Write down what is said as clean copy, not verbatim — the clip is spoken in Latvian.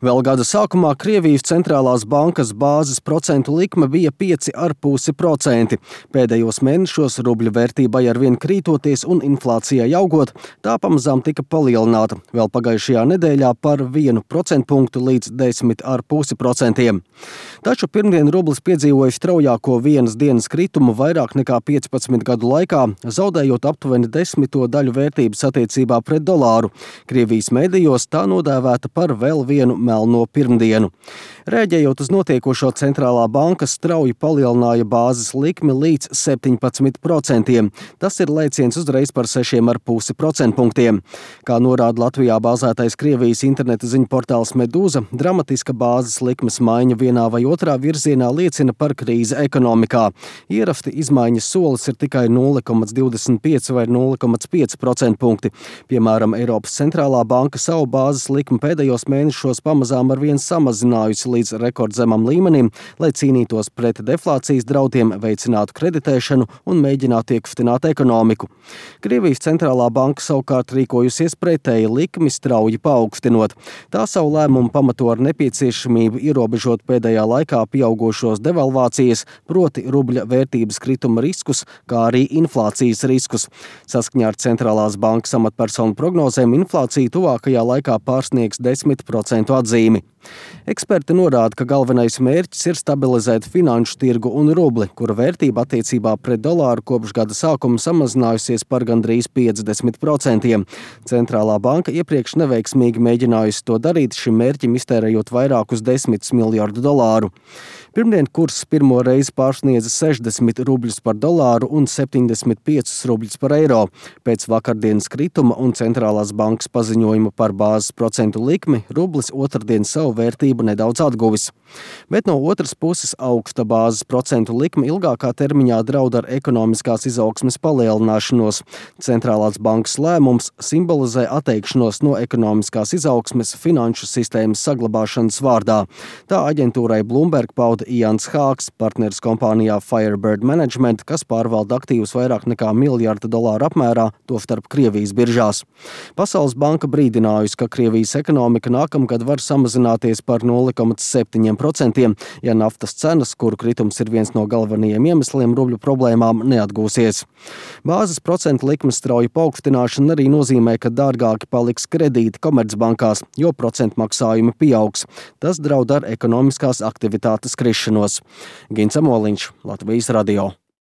Vēl gada sākumā Krievijas centrālās bankas bāzes procentu likme bija 5,5%. Pēdējos mēnešos rubļa vērtībai arvien krītoties un inflācijai augot, tā pamazām tika palielināta vēl pagājušajā nedēļā par 1 procentpunktu līdz 10,5%. Taču pirmdien rublis piedzīvoja straujāko vienas dienas kritumu vairāk nekā 15 gadu laikā, zaudējot aptuveni 10 daļu vērtības attiecībā pret dolāru. Krievijas medijos tā nodēvēta par vēl vienu melno pirmdienu. Rēģējot uz notiekošo, centrālā banka strauji palielināja bāzes likmi līdz 17%. Tas ir lēciens uzreiz par 6,5 procentpunktiem. Kā norāda Latvijā bāzētais Krievijas interneta ziņu portāls Medūza, dramatiska bāzes likmes maiņa vienā vai otrā virzienā liecina par krīzi ekonomikā. Ierasti izmaiņas solis ir tikai 0,25 vai 0,5 procentpunkti. Piemēram, Eiropas centrālā banka savu bāzes likmi pēdējos mēnešos pamazām arvien samazinājusi līdz rekordzemam līmenim, lai cīnītos pret deflācijas draudiem, veicinātu kreditēšanu un mēģinātu iekustināt ekonomiku. Krievijas centrālā banka savukārt rīkojusies pretēji, likmi strauji paaugstinot. Tā savu lēmumu pamato ar nepieciešamību ierobežot pēdējā laikā pieaugošos devalvācijas, proti rubļa vērtības krituma riskus, kā arī inflācijas riskus. Saskaņā ar centrālās bankas amatpersonu prognozēm inflācija tuvākajā laikā pārsniegs 10% atzīmi. Eksperti norāda, ka galvenais mērķis ir stabilizēt finanšu tirgu un rubli, kura vērtība attiecībā pret dolāru kopš gada sākuma samazinājusies par gandrīz 50%. Centrālā banka iepriekš neveiksmīgi mēģinājusi to darīt, šim mērķim iztērējot vairākus 10 miljardu dolāru. Pirmdien kurs pirmo reizi pārsniedza 60 rubļus par dolāru un 75 rubļus par eiro. Pēc vakardienas krituma un centrālās bankas paziņojuma par bāzes procentu likmi rublis otrdien savu vērtību nedaudz atguvis. Bet no otras puses augsta bāzes procentu likme ilgākā termiņā draud ar ekonomiskās izaugsmes palielināšanos. Centrālās bankas lēmums simbolizē atteikšanos no ekonomiskās izaugsmes finanšu sistēmas saglabāšanas vārdā. Tā aģentūrai Bloomberg pauda Jans Hāks, partneris kompānijā Firebird Management, kas pārvalda aktīvus vairāk nekā $1 miljardu apmērā, tostarp Krievijas biržās. Pasaules banka brīdinājusi, ka Krievijas ekonomika nākamgad var samazināties par 0,7%, ja naftas cenas, kuru kritums ir viens no galvenajiem iemesliem rubļu problēmām, neatgūsies. Bāzes procentu likmes strauja paaugstināšana arī nozīmē, ka dārgāki paliks kredīti komercbankās, jo procentu maksājumi pieaugs. Tas draud ar ekonomiskās aktivitātes krišanos. Gins Amoliņš, Latvijas radio.